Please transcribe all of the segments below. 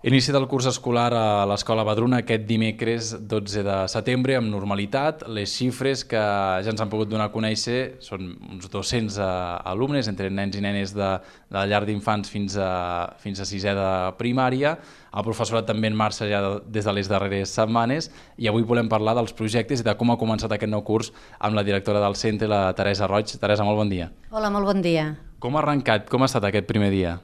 Inici del curs escolar a l'Escola Vedruna aquest dimecres 12 de setembre amb normalitat. Les xifres que ja ens han pogut donar a conèixer són uns 200 alumnes, entre nens i nenes de la llar d'infants fins a sisè de primària. El professorat també en marxa ja des de les darreres setmanes i avui volem parlar dels projectes i de com ha començat aquest nou curs amb la directora del centre, la Teresa Roig. Teresa, molt bon dia. Hola, molt bon dia. Com ha arrencat? Com ha estat aquest primer dia?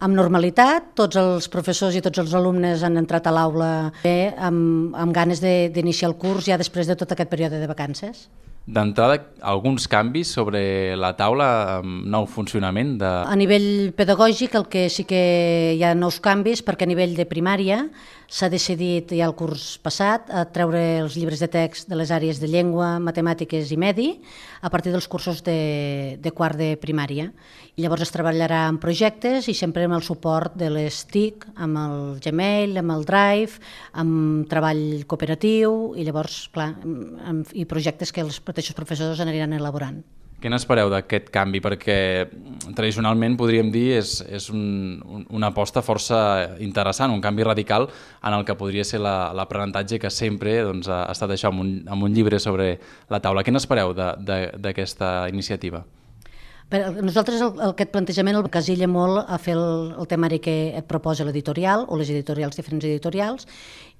Amb normalitat, tots els professors i tots els alumnes han entrat a l'aula bé, amb ganes d'iniciar el curs ja després de tot aquest període de vacances. D'entrada, alguns canvis sobre la taula amb nou funcionament? A nivell pedagògic el que sí que hi ha nous canvis, perquè a nivell de primària s'ha decidit ja el curs passat a treure els llibres de text de les àrees de llengua, matemàtiques i medi a partir dels cursos de quart de primària. I llavors es treballarà en projectes i sempre amb el suport de les TIC, amb el Gmail, amb el Drive, amb treball cooperatiu i llavors, clar, i projectes que els mateixos professors aniran elaborant. Què n'espereu d'aquest canvi? Perquè tradicionalment, podríem dir, és una aposta força interessant, un canvi radical en el que podria ser l'aprenentatge que sempre ha estat això, amb un llibre sobre la taula. Què n'espereu d'aquesta iniciativa? Nosaltres aquest plantejament el casilla molt a fer el temari que et proposa l'editorial o les editorials, diferents editorials,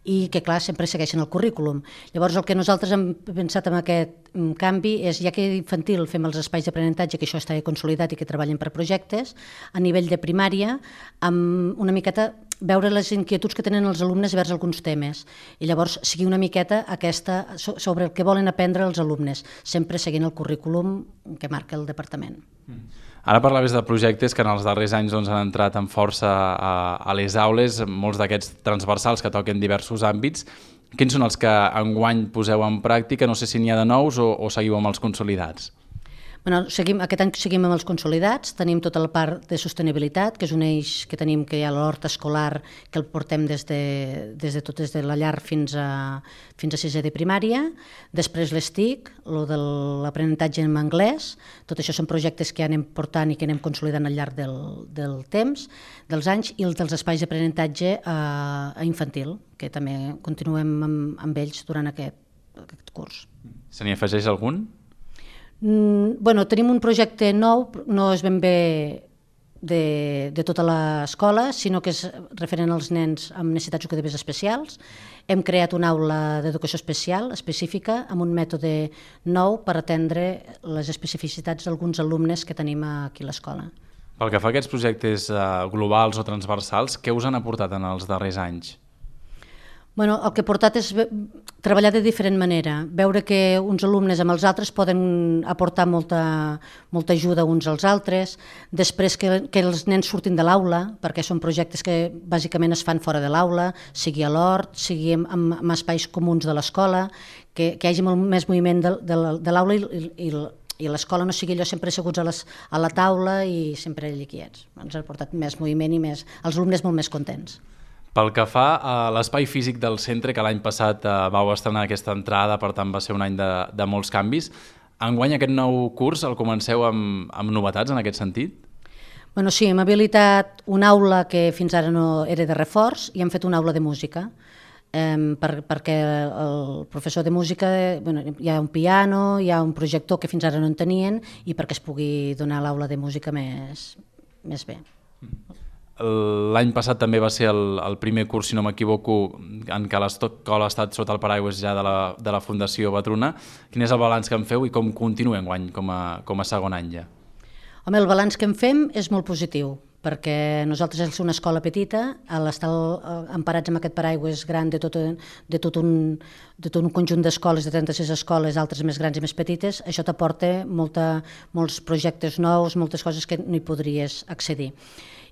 i que, clar, sempre segueixen el currículum. Llavors, el que nosaltres hem pensat en aquest canvi és, ja que infantil fem els espais d'aprenentatge, que això està consolidat i que treballen per projectes, a nivell de primària, amb una miqueta veure les inquietuds que tenen els alumnes vers alguns temes i llavors seguir una miqueta aquesta sobre el que volen aprendre els alumnes, sempre seguint el currículum que marca el departament. Ara parlaves de projectes que en els darrers anys han entrat amb força a les aules, molts d'aquests transversals que toquen diversos àmbits. Quins són els que enguany poseu en pràctica? No sé si n'hi ha de nous o seguiu amb els consolidats. Aquest any seguim amb els consolidats, tenim tota la part de sostenibilitat, que és un eix que tenim, que hi ha l'hort escolar, que el portem des de la llar fins a sisè de primària, després les TIC, el de l'aprenentatge en anglès, tot això són projectes que anem portant i que anem consolidant al llarg del temps, dels anys, i els dels espais d'aprenentatge a infantil, que també continuem amb ells durant aquest curs. Se n'hi afegeix algun? Tenim un projecte nou, no és ben bé de tota l'escola, sinó que és referent als nens amb necessitats educatives especials. Hem creat una aula d'educació especial, específica, amb un mètode nou per atendre les especificitats d'alguns alumnes que tenim aquí a l'escola. Pel que fa a aquests projectes globals o transversals, què us han aportat en els darrers anys? El que ha portat és treballar de diferent manera, veure que uns alumnes amb els altres poden aportar molta ajuda uns als altres, després que els nens surtin de l'aula, perquè són projectes que bàsicament es fan fora de l'aula, sigui a l'hort, sigui en espais comuns de l'escola, que hi hagi molt més moviment de l'aula i l'escola no sigui allò sempre asseguts a la taula i sempre allà quiets. Ens ha portat més moviment i els alumnes molt més contents. Pel que fa a l'espai físic del centre, que l'any passat vau estrenar aquesta entrada, per tant va ser un any de molts canvis, enguany aquest nou curs el comenceu amb novetats en aquest sentit? Sí, hem habilitat una aula que fins ara no era de reforç i hem fet una aula de música, perquè el professor de música hi ha un piano, hi ha un projector que fins ara no en tenien i perquè es pugui donar l'aula de música més bé. L'any passat també va ser el primer curs, si no m'equivoco, en què l'escola ha estat sota el paraigües ja de la Fundació Vedruna. Quin és el balanç que en feu i com continua enguany com a segon any ja? El balanç que en fem és molt positiu, perquè nosaltres som una escola petita, a l'estar emparats amb aquest paraigües gran de tot un conjunt d'escoles, de 36 escoles, altres més grans i més petites, això t'aporta molts projectes nous, moltes coses que no hi podries accedir.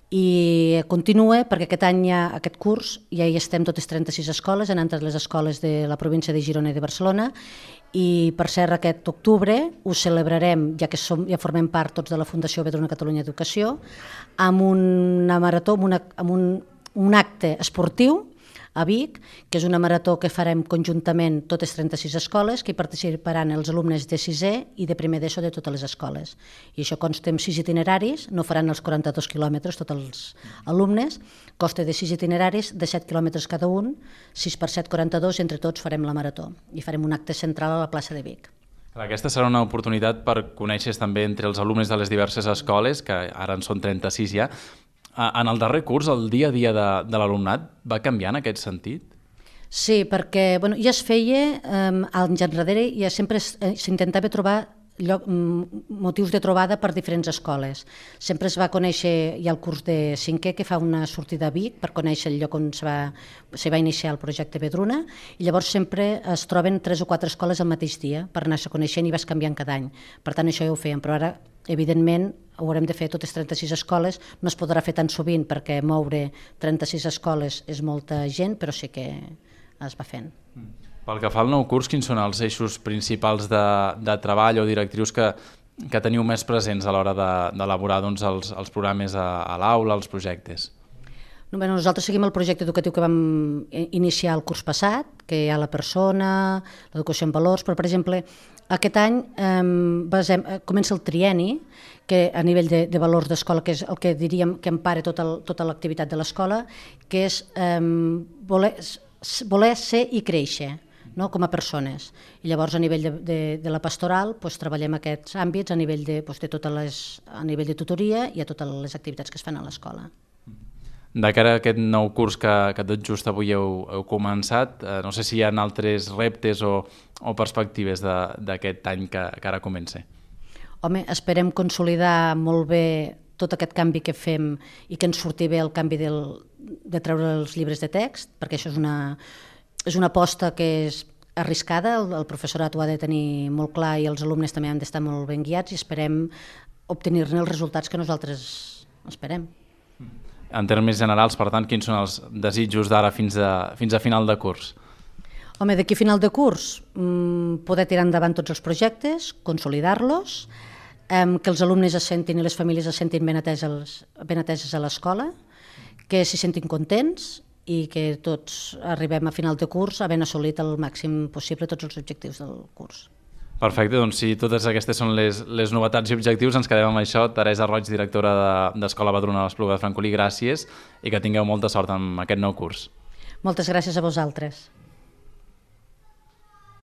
I continua perquè aquest curs ja hi estem totes 36 escoles, han entrat les escoles de la província de Girona i de Barcelona i per cert aquest octubre ho celebrarem, ja que ja formem part tots de la Fundació Vedruna Catalunya Educació, amb una marató, amb un acte esportiu a Vic, que és una marató que farem conjuntament totes 36 escoles, que hi participaran els alumnes de 6è i de primer d'ESO de totes les escoles. I això consta en 6 itineraris, no faran els 42 quilòmetres tots els alumnes, costa de 6 itineraris, de 7 quilòmetres cada un, 6 per 7, 42, entre tots farem la marató i farem un acte central a la plaça de Vic. Aquesta serà una oportunitat per conèixer també entre els alumnes de les diverses escoles, que ara en són 36 ja. En el darrer curs, el dia a dia de l'alumnat va canviar en aquest sentit? Sí, perquè ja es feia, anys enrere, ja sempre s'intentava trobar motius de trobada per diferents escoles. Sempre es va conèixer, hi ha el curs de 5è que fa una sortida a Vic per conèixer el lloc on se va iniciar el projecte Vedruna, i llavors sempre es troben 3 o 4 escoles al mateix dia per anar-se coneixent i vas canviant cada any. Per tant, això ja ho fèiem, però ara, evidentment, ho haurem de fer totes 36 escoles, no es podrà fer tan sovint perquè moure 36 escoles és molta gent, però sí que es va fent. Pel que fa al nou curs, quins són els eixos principals de treball o directrius que teniu més presents a l'hora d'elaborar els programes a l'aula, els projectes? Nosaltres seguim el projecte educatiu que vam iniciar el curs passat, que hi ha la persona, l'educació en valors, però, per exemple, aquest any comença el trienni, que a nivell de valors d'escola, que és el que diríem que empara tota l'activitat de l'escola, que és voler ser i créixer, com a persones. I llavors a nivell de la pastoral treballem aquests àmbits a nivell de tutoria i a totes les activitats que es fan a l'escola. De cara a aquest nou curs que tot just avui heu començat, no sé si hi ha altres reptes o perspectives d'aquest any que ara comença. Home, esperem consolidar molt bé tot aquest canvi que fem i que ens surti bé el canvi de treure els llibres de text, perquè això és una aposta que és arriscada, el professorat ho ha de tenir molt clar i els alumnes també han d'estar molt ben guiats i esperem obtenir-ne els resultats que nosaltres esperem. En termes generals, per tant, quins són els desitjos d'ara fins a final de curs? Home, d'aquí a final de curs poder tirar endavant tots els projectes, consolidar-los, que els alumnes es sentin i les famílies es sentin ben ateses a l'escola, que s'hi sentin contents i que tots arribem a final de curs havent assolit el màxim possible tots els objectius del curs. Perfecte, doncs si totes aquestes són les novetats i objectius, ens quedem amb això. Teresa Roig, directora d'Escola Vedruna de l'Espluga de Francolí, gràcies i que tingueu molta sort amb aquest nou curs. Moltes gràcies a vosaltres.